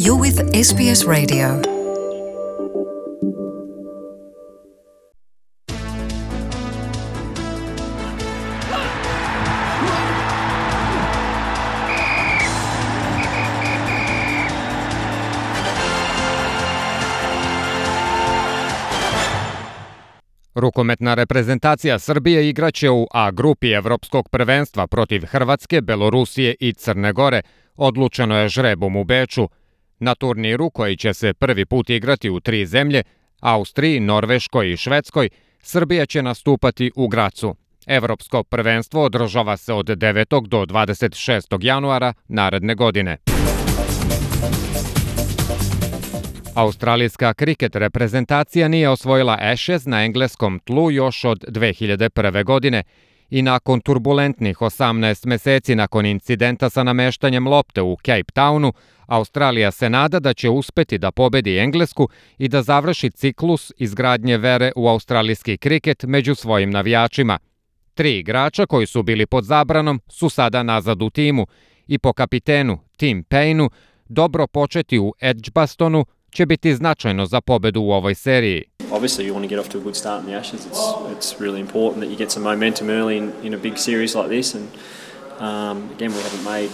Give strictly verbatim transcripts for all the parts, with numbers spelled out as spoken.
You're with S B S Radio. Rukometna reprezentacija Srbije igraće u A grupi Evropskog prvenstva protiv Hrvatske, Belorusije i Crne Gore. Odlučeno je žrebom u Beču. Na turniru, koji će se prvi put igrati u tri zemlje, Austriji, Norveškoj i Švedskoj, Srbija će nastupati u Gracu. Evropsko prvenstvo održava se od devetog do dvadeset šestog januara naredne godine. Australijska kriket reprezentacija nije osvojila Ashes na engleskom tlu još od dve hiljade prve. godine i nakon turbulentnih osamnaest meseci nakon incidenta sa nameštanjem lopte u Cape Townu, Australija se nada da će uspeti da pobedi Englesku i da završi ciklus izgradnje vere u australijski kriket među svojim navijačima. Tri igrača koji su bili pod zabranom su sada nazad u timu i po kapitenu Tim Paineu dobro početi u Edgbastonu će biti značajno za pobedu u ovoj seriji. Obviously you want to get off to a good start in the Ashes. It's it's really important that you get some momentum early in, in a big series like this, and um, again we haven't made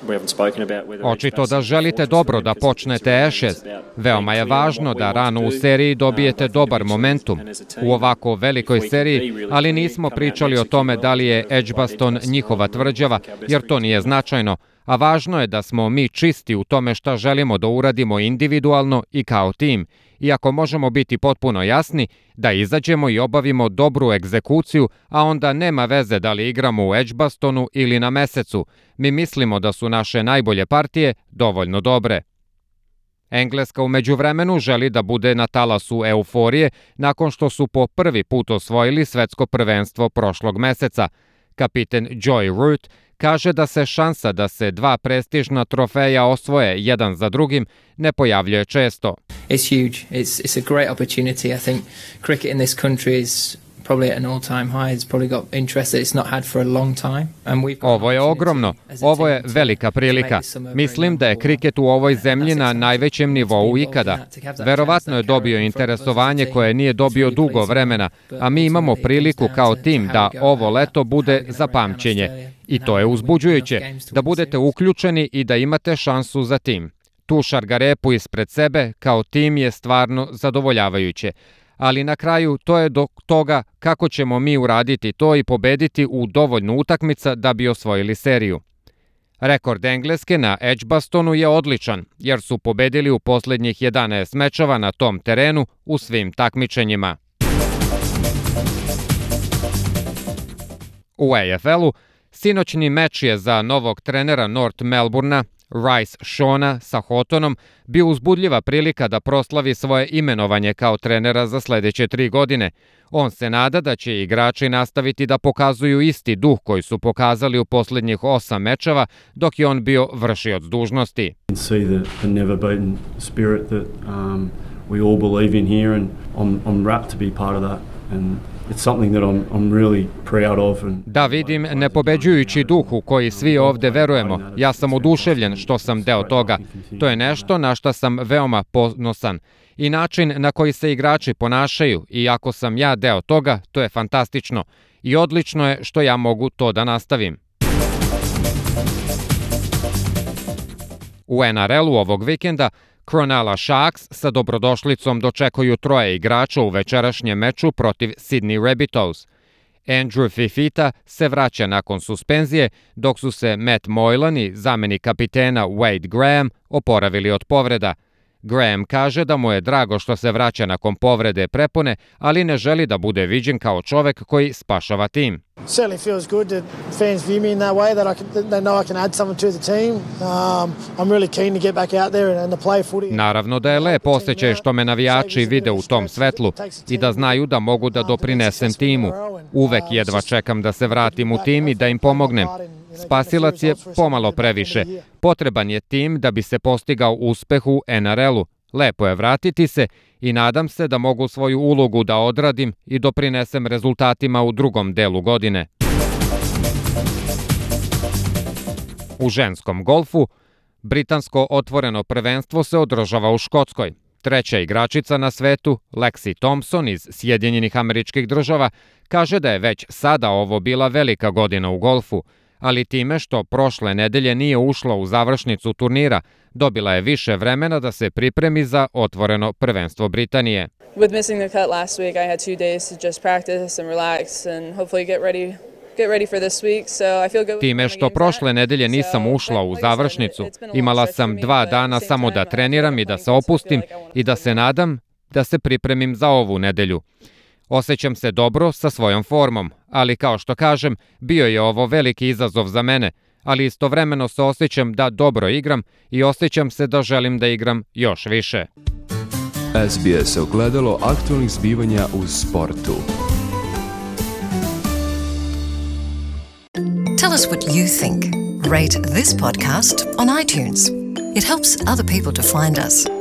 we haven't spoken about whether Očito da želite dobro da počnete Ashes. Veoma je važno da rano u seriji dobijete dobar momentum u ovako velikoj seriji, ali nismo pričali o tome da li je Edgbaston njihova tvrđava, jer to nije značajno, a važno je da smo mi čisti u tome šta želimo da uradimo individualno i kao tim. Iako možemo biti potpuno jasni da izađemo i obavimo dobru egzekuciju, a onda nema veze da li igramo u Edgbastonu ili na Mesecu. Mi mislimo da su naše najbolje partije dovoljno dobre. Engleska u međuvremenu želi da bude na talasu euforije nakon što su po prvi put osvojili svetsko prvenstvo prošlog meseca. Kapiten Joy Root kaže da se šansa da se dva prestižna trofeja osvoje jedan za drugim ne pojavljuje često. It's huge. It's it's a great opportunity. I think cricket in this country is probably at an all-time high. It's probably got interest that it's not had for a long time. And we've Ovo je ogromno. Ovo je velika prilika. Mislim da je kriket u ovoj zemlji na najvećem nivou ikada. Verovatno je dobio interesovanje koje nije dobio dugo vremena, a mi imamo priliku kao tim da ovo leto bude za pamćenje. I to je uzbuđujuće, da budete uključeni i da imate šansu za tim. Tu šargarepu ispred sebe kao tim je stvarno zadovoljavajuće. Ali na kraju to je do toga kako ćemo mi uraditi to i pobediti u dovoljno utakmica da bi osvojili seriju. Rekord Engleske na Edgbastonu je odličan, jer su pobedili u posljednjih jedanaest mečeva na tom terenu u svim takmičenjima. U A F L-u sinoćni meč je za novog trenera North Melbournea Rice Shawna sa Houghtonom bio uzbudljiva prilika da proslavi svoje imenovanje kao trenera za sljedeće tri godine. On se nada da će igrači nastaviti da pokazuju isti duh koji su pokazali u posljednjih osam mečeva dok je on bio vršioc dužnosti. Da vidim nepobeđujući duh u koji svi ovdje verujemo. Ja sam oduševljen što sam deo toga. To je nešto na što sam veoma ponosan. I način na koji se igrači ponašaju, i ako sam ja deo toga, to je fantastično. I odlično je što ja mogu to da nastavim. U N R L-u ovog vikenda Cronulla Sharks sa dobrodošlicom dočekuju troje igrača u večerašnjem meču protiv Sydney Rabbitohs. Andrew Fifita se vraća nakon suspenzije, dok su se Matt Moylan i zamenik kapitena Wade Graham oporavili od povreda. Graham kaže da mu je drago što se vraća nakon povrede prepone, ali ne želi da bude viđen kao čovek koji spašava tim. Certainly feels good that fans view me in that way, that I can, they know I can add something to the team. Um, I'm really keen to get back out there and to play footy. Naravno da je lep osjećaj što me navijači vide u tom svetlu i da znaju da mogu da doprinesem timu. Uvek jedva čekam da se vratim u tim i da im pomognem. Spasilac je pomalo previše. Potreban je tim da bi se postigao uspeh u N R L-u. Lepo je vratiti se i nadam se da mogu svoju ulogu da odradim i doprinesem rezultatima u drugom delu godine. U ženskom golfu Britansko otvoreno prvenstvo se održava u Škotskoj. Treća igračica na svetu, Lexi Thompson iz Sjedinjenih Američkih Država, kaže da je već sada ovo bila velika godina u golfu, ali time što prošle nedelje nije ušla u završnicu turnira, dobila je više vremena da se pripremi za otvoreno prvenstvo Britanije. With missing the cut last week, I had two days to just practice and relax and hopefully get ready get ready for this week. So I feel good. Time što prošle nedelje nisam ušla u završnicu, imala sam dva dana samo da treniram i da se opustim i da se nadam da se pripremim za ovu nedelju. Osjećam se dobro sa svojom formom, ali kao što kažem, bio je ovo veliki izazov za mene, ali istovremeno se osjećam da dobro igram i osjećam se da želim da igram još više. S B S ogledalo aktualnih zbivanja u sportu. Tell us what you think. Rate this podcast on iTunes. It helps other people to find us.